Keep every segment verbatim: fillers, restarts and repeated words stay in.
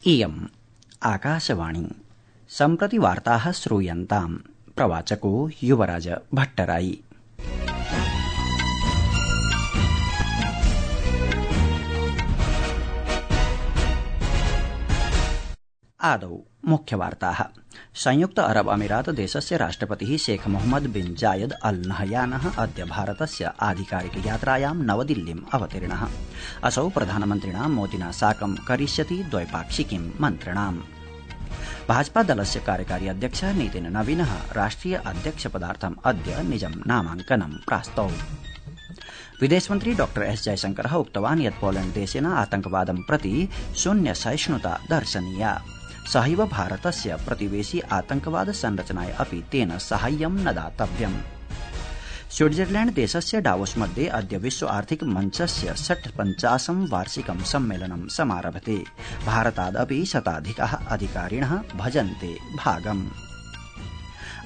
इयम् आकाशवाणी। सम्प्रति वार्ताः श्रूयन्ताम्। प्रवाचको युवराज भट्टराई। आदौ मुख्यवार्ताः। संयुक्त अरब अमीरात देशस्य राष्ट्रपतिः शेख मोहम्मद बिन जायद अल नहयानः अद्य भारतस्य आधिकारिक यात्रायां नवदिल्लीम् अवतीर्णः। असौ प्रधानमन्त्रिणा मोदिना साकं करिष्यति द्वैपाक्षिकीं मन्त्रणाम्। भाजपा दलस्य कार्यकारी अध्यक्षः नितिन नवीनः राष्ट्रिय अध्यक्षपदार्थम् अद्य निजं नामाङ्कनं प्रास्तौ। विदेशमन्त्री डॉ एस जयशंकरः उक्तवान् यत् पोलैण्ड देशेन आतंकवादं प्रति शून्य सहिष्णुता दर्शनीया। सहैव भारतस्य प्रतिवेशी आतंकवाद संरचनाय अपि तेन साहाय्यं न दातव्यम्। स्विट्जरलैण्ड देशस्य डावोस मध्ये अद्य विश्व आर्थिक मञ्चस्य षट्पञ्चाशं वार्षिकं सम्मेलनं समारभते। भारतादपि शताधिकाः अधिकारिणः भजन्ते भागम्।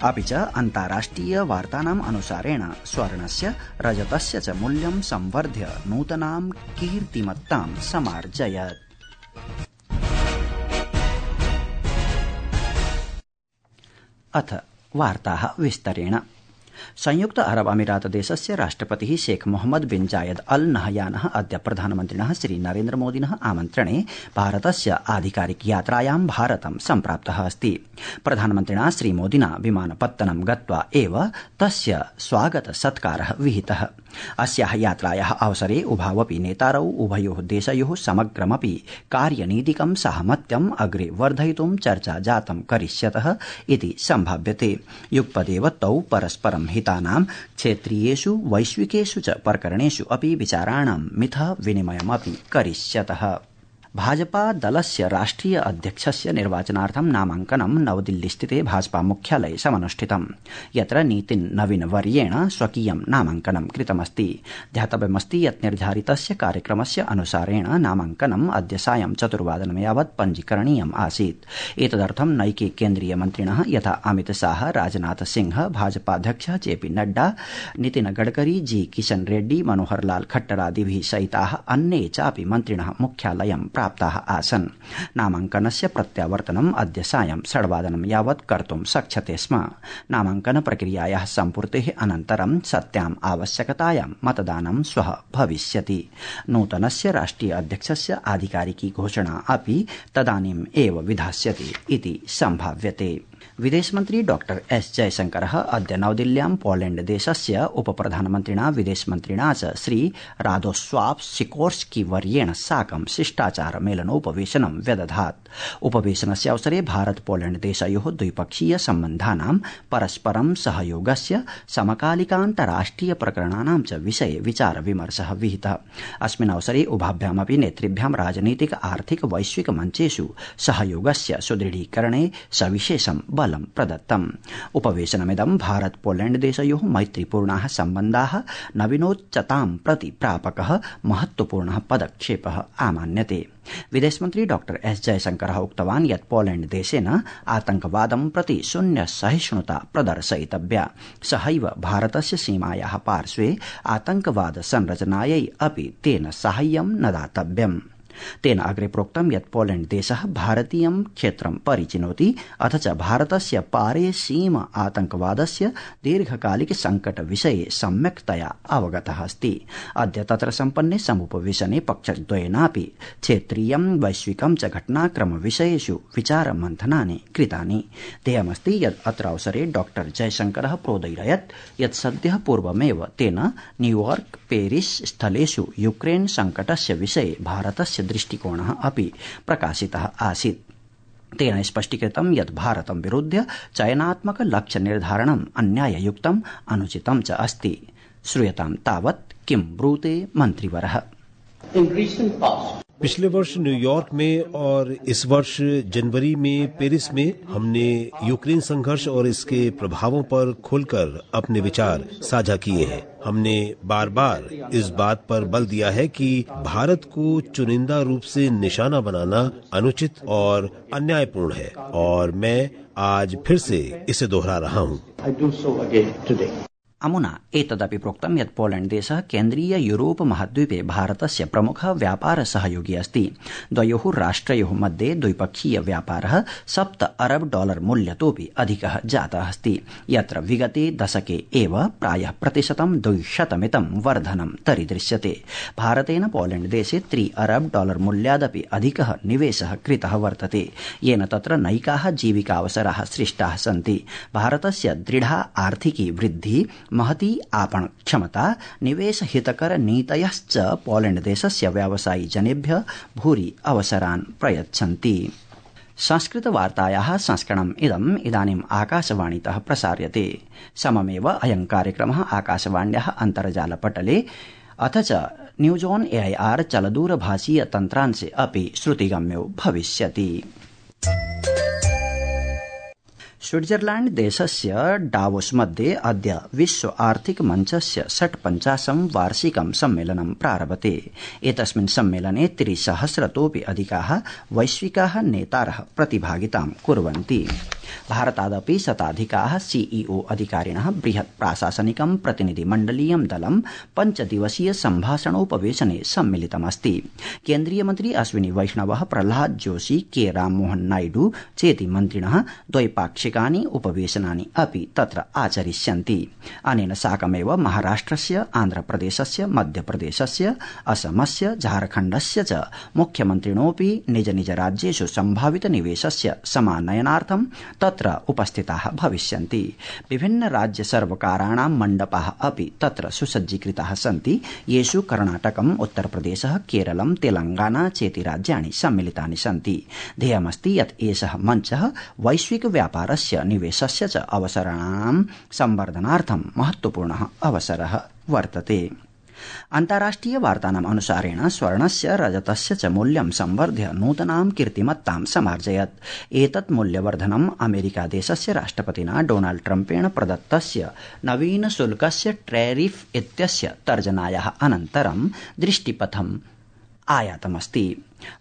अपि च अन्ताराष्ट्रिय वार्तानाम् अनुसारेण स्वर्णस्य रजतस्य च मूल्यं संवर्ध्य नूतनां कीर्तिमत्तां समार्जयत्। अथ वार्ताः विस्तरेण। संयुक्त अरब अमीरात देशस्य राष्ट्रपतिः शेख मोहम्मद बिन जायद अल नहयानः अद्य प्रधानमन्त्रिणः श्री नरेन्द्र मोदिनः आमन्त्रणे भारतस्य आधिकारिक यात्रायां भारतं सम्प्राप्तः अस्ति। प्रधानमन्त्रिणा श्री मोदिना विमानपत्तनं गत्वा एव तस्य स्वागत सत्कारः विहितः। अस्याः यात्रायाः अवसरे उभावपि नेतारौ उभयोः देशयोः समग्रमपि कार्यनीतिकं साहमत्यम् अग्रे वर्धयितुं चर्चा जातं करिष्यतः इति सम्भाव्यते। युगपदेव तौ परस्परं हितानां क्षेत्रीयेषु वैश्विकेषु च प्रकरणेषु अपि विचाराणां मिथः विनिमयमपि करिष्यतः। भाजपा दलस्य राष्ट्रिय अध्यक्षस्य निर्वाचनार्थं नामाङ्कनं नवदिल्लीस्थिते भाजपा मुख्यालये समनुष्ठितम्, यत्र नितिन नवीन वर्येण स्वकीयं नामाङ्कनं कृतमस्ति। ध्यातव्यमस्ति यत् निर्धारितस्य कार्यक्रमस्य अनुसारेण नामाङ्कनम् अद्य सायं चतुर्वादनं यावत् पञ्जीकरणीयम् आसीत्। एतदर्थं नैके केन्द्रीय मन्त्रिणः यथा अमित शाह, राजनाथ सिंह, भाजपाध्यक्षः जेपी नड्डा, नितिन गडकरी, जी किशन रेड्डी, मनोहर लाल खट्टरादिभिः सहिताः अन्ये चापि मन्त्रिणः मुख्यालयं प्राप्ताः आसन्। नामाङ्कनस्य प्रत्यावर्तनम् अद्य सायं षड्वादनं यावत् कर्तुं शक्यते स्म। नामाङ्कन प्रक्रियायाः सम्पूर्तेः अनन्तरं सत्याम् आवश्यकतायां मतदानं श्वः भविष्यति। नूतनस्य राष्ट्रिय अध्यक्षस्य आधिकारिकी घोषणा अपि तदानीम् एव विधास्यति इति सम्भाव्यते। विदेशमन्त्री डॉ एस जयशंकरः अद्य नवदिल्ल्यां पोलैण्ड देशस्य उपप्रधानमन्त्रिणा विदेशमन्त्रिणा च श्री रादोस्वाव सिकोर्स्की वर्येण साकं शिष्टाचार मेलनोपवेशनं व्यदधात्। उपवेशनस्य अवसरे भारत पोलैण्ड देशयोः द्विपक्षीय सम्बन्धानां परस्परं सहयोगस्य समकालिकान्तराष्ट्रिय प्रकरणानां च विषये विचार विमर्शः विहितः। अस्मिन् अवसरे उभाभ्यामपि नेतृभ्यां राजनीतिक आर्थिक वैश्विक मञ्चेषु सहयोगस्य सुदृढीकरणे सविशेषं बलं प्रदत्तम्। उपवेशनमिदं भारत पोलैण्ड देशयोः मैत्रीपूर्णाः सम्बन्धाः नवीनोच्चतां प्रति प्रापकः महत्वपूर्णः पदक्षेपः आमान्यते। विदेशमन्त्री डॉ एस जयशंकरः उक्तवान् यत् पोलैण्ड देशेन आतंकवादं प्रति शून्य सहिष्णुता प्रदर्शयितव्या। सहैव भारतस्य सीमायाः पार्श्वे आतंकवाद संरचनायै अपि तेन साहाय्यं न दातव्यम्। तेन अग्रे प्रोक्तं यत् पोलैण्ड देशः भारतीयं क्षेत्रं परिचिनोति अथ च भारतस्य पारे सीम आतंकवादस्य दीर्घकालिक संकट विषये सम्यक्तया अवगतः अस्ति। अद्य तत्र सम्पन्ने समुपवेशने पक्षद्वयेनापि क्षेत्रीयं वैश्विकं च घटनाक्रम विषयेषु विचार मन्थनानि कृतानि। ध्येयमस्ति यत् अत्र अवसरे डॉ जयशंकरः प्रोदयत् यत् सद्यः पूर्वमेव तेन न्यूयॉर्क, पेरिस स्थलेषु यूक्रेन संकटस्य विषये भारतस्य दृष्टिकोणः अपि प्रकाशितः आसीत्। तेन स्पष्टीकृतं यत् भारतं विरुध्य चयनात्मक लक्ष्य निर्धारणम् अन्याययुक्तम् अनुचितं च अस्ति। श्रूयतां तावत् किं ब्रूते मन्त्रिवरः। पिछले वर्ष न्यूयॉर्क में और इस वर्ष जनवरी में पेरिस में हमने यूक्रेन संघर्ष और इसके प्रभावों पर खुलकर अपने विचार साझा किए हैं। हमने बार बार इस बात पर बल दिया है कि भारत को चुनिंदा रूप से निशाना बनाना अनुचित और अन्यायपूर्ण है, और मैं आज फिर से इसे दोहरा रहा हूँ। अमुना एतदपि प्रोक्तं यत् पोलैण्ड देशः केन्द्रीय यूरोप महाद्वीपे भारतस्य प्रमुख व्यापार सहयोगी अस्ति। द्वयोः राष्ट्रयोः मध्ये द्विपक्षीय व्यापारः सप्त अरब डॉलर मूल्यतोऽपि अधिकः जातः अस्ति, यत्र विगते दशके एव प्रायः प्रतिशतं द्विशतमितं वर्धनं दरीदृश्यते। भारतेन पोलैण्ड देशे त्रि अरब डॉलर मूल्यादपि अधिकः निवेशः कृतः वर्तते, येन तत्र नैकाः जीविकावसराः सृष्टाः सन्ति। भारतस्य दृढा आर्थिकी वृद्धि, महती आपण क्षमता, निवेश हितकर नीतयश्च पोलैण्ड देशस्य व्यावसायी जनेभ्यः भूरि अवसरान् प्रयच्छन्ति। संस्कृत वार्तायाः संस्करणम् इदम् इदानीम् आकाशवाणीतः प्रसार्यते। सममेव अयं कार्यक्रमः आकाशवाण्याः अन्तर्जालपटले अथ च न्यूज ऑन एआईआर चलदूरभाषीय तन्त्रांशे अपि श्रुतिगम्यो भविष्यति। स्विट्जरलैण्ड देशस्य डावोस मध्ये अद्य विश्व आर्थिक मञ्चस्य षट्पञ्चाशं वार्षिकं सम्मेलनं प्रारभते। एतस्मिन् सम्मेलने त्रिसहस्रतोऽपि अधिकाः वैश्विकाः नेतारः प्रतिभागितां कुर्वन्ति। भारतादपि शताधिकाः सीईओ अधिकारिणः बृहत् प्राशासनिकं प्रतिनिधिमण्डलीयं दलं पञ्चदिवसीय सम्भाषणोपवेशने सम्मिलितमस्ति। केन्द्रीय मन्त्री अश्विनी वैष्णवः, प्रह्लाद जोशी, के राममोहन नायडू चेति मन्त्रिणः द्वैपाक्षिकानि उपवेशनानि अपि तत्र आचरिष्यन्ति। अनेन साकमेव महाराष्ट्रस्य, आन्ध्रप्रदेशस्य, मध्यप्रदेशस्य, असमस्य, झारखण्डस्य च मुख्यमन्त्रिणोऽपि निज निज राज्येषु सम्भावित निवेशस्य समानयनार्थं तत्र उपस्थिताः भविष्यन्ति। विभिन्न राज्य सर्वकाराणां मण्डपाः अपि तत्र सुसज्जीकृताः सन्ति, येषु कर्णाटकम्, उत्तरप्रदेशः, केरलं, तेलंगाना चेति राज्यानि सम्मिलितानि सन्ति। ध्येयमस्ति यत् एषः मञ्चः वैश्विक व्यापारस्य, निवेशस्य च अवसराणां संवर्धनार्थं महत्वपूर्णः अवसरः वर्तते। अन्ताराष्ट्रिय वार्तानाम् अनुसारेण स्वर्णस्य, रजतस्य च मूल्यं संवर्ध्य नूतनां कीर्तिमत्तां समार्जयत्। एतत् मूल्यवर्धनम् अमेरिका देशस्य राष्ट्रपतिना डोनाल्ड ट्रम्पेण प्रदत्तस्य नवीन शुल्कस्य टैरिफ इत्यस्य तर्जनायाः अनन्तरं दृष्टिपथम् आयातमस्ति।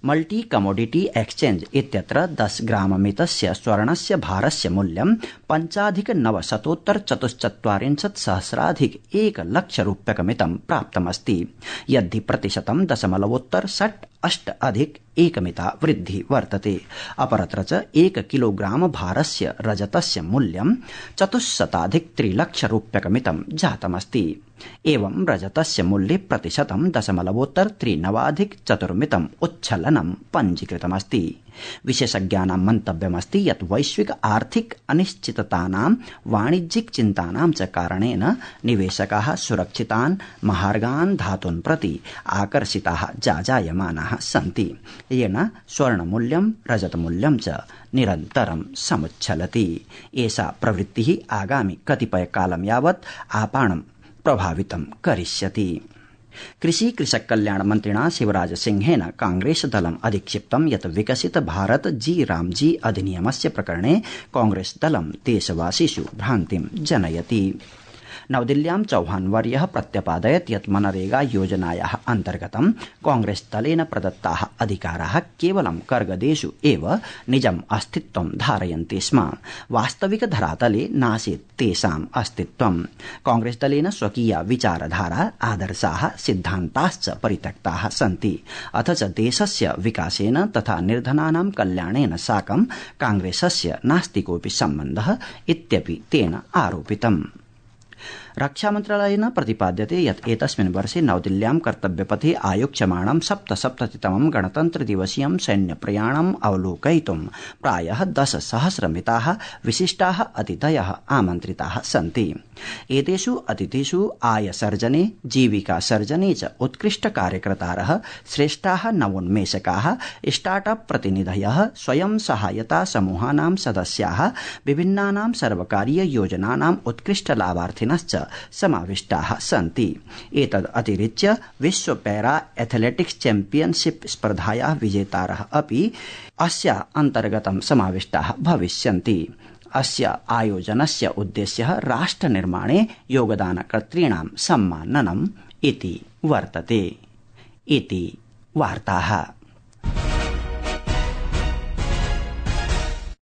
मल्टी कमोडिटी एक्सचेंज इत्यत्र दश ग्राममितस्य स्वर्णस्य भारस्य मूल्यं पञ्चाधिक नवशतोत्तर चतुश्चत्वारिंशत् सहस्राधिक एक लक्ष रूप्यकमितं प्राप्तमस्ति, यद्धि प्रतिशतं दशमलवोत्तर षट् अष्ट अधिक एकमिता वृद्धि वर्तते। अपरत्र च एक किलोग्राम भारस्य रजतस्य मूल्यं चतुश्शताधिक त्रिलक्ष रूप्यकमितं जातमस्ति। एवं रजतस्य मूल्ये प्रतिशतं दशमलवोत्तर त्रिनवाधिक चतुर्मितम् उच्छलनं पञ्जीकृतमस्ति। विशेषज्ञानां मन्तव्यमस्ति यत् वैश्विक आर्थिक अनिश्चिततानां, वाणिज्यिक चिन्तानां च कारणेन निवेशकाः सुरक्षितान् महार्गान् धातून् प्रति आकर्षिताः जाजायमानाः सन्ति, येन स्वर्णमूल्यं, रजतमूल्यं च निरन्तरं समुच्छलति। एषा प्रवृत्तिः आगामि कतिपयकालं यावत् आपाणं प्रभावितं करिष्यति। कृषि कृषक कल्याण मन्त्रिणा शिवराज सिंहेन कांग्रेस दलम् अधिक्षिप्तं यत् विकसित भारत जी रामजी अधिनियमस्य प्रकरणे कांग्रेस दलं देशवासिषु भ्रान्तिं जनयति। नवदिल्ल्यां चौहानवर्यः प्रत्यपादयत् यत् मनरेगा योजनायाः अन्तर्गतं कांग्रेस दलेन प्रदत्ताः अधिकाराः केवलं कर्गदेषु एव निजम् अस्तित्वं धारयन्ति स्म। वास्तविक धरातले नासीत् तेषाम् अस्तित्वम्। कांग्रेस दलेन स्वकीया विचारधारा, आदर्शाः, सिद्धान्ताश्च परित्यक्ताः सन्ति, अथ च देशस्य विकासेन तथा निर्धनानां कल्याणेन साकं कांग्रेसस्य नास्ति कोऽपि सम्बन्धः इत्यपि तेन आरोपितम्। रक्षामन्त्रालयेन प्रतिपाद्यते यत् एतस्मिन् वर्षे नवदिल्ल्यां कर्तव्यपथे आयोक्ष्यमाणं सप्तसप्ततितमं गणतन्त्रदिवसीयं सैन्यप्रयाणम् अवलोकयितुं प्रायः दशसहस्रमिताः विशिष्टाः अतिथयः आमन्त्रिताः सन्ति। एतेषु अतिथिषु आयसर्जने, जीविकासर्जने च उत्कृष्टकार्यकर्तारः, श्रेष्ठाः नवोन्मेषकाः, स्टार्टअप प्रतिनिधयः, स्वयं सहायता समूहानां सदस्याः, विभिन्नानां सर्वकारीय योजनानाम् उत्कृष्टलाभार्थिनश्च समाविष्टाः सन्ति। एतद् अतिरिच्य विश्व पैरा एथलेटिक्स चैम्पियनशिप स्पर्धायाः विजेतारः अपि अस्य अन्तर्गतं समाविष्टाः भविष्यन्ति। अस्य आयोजनस्य उद्देश्यः राष्ट्रनिर्माणे योगदानकर्तॄणां सम्माननम् इति वर्तते। इति वार्ताः।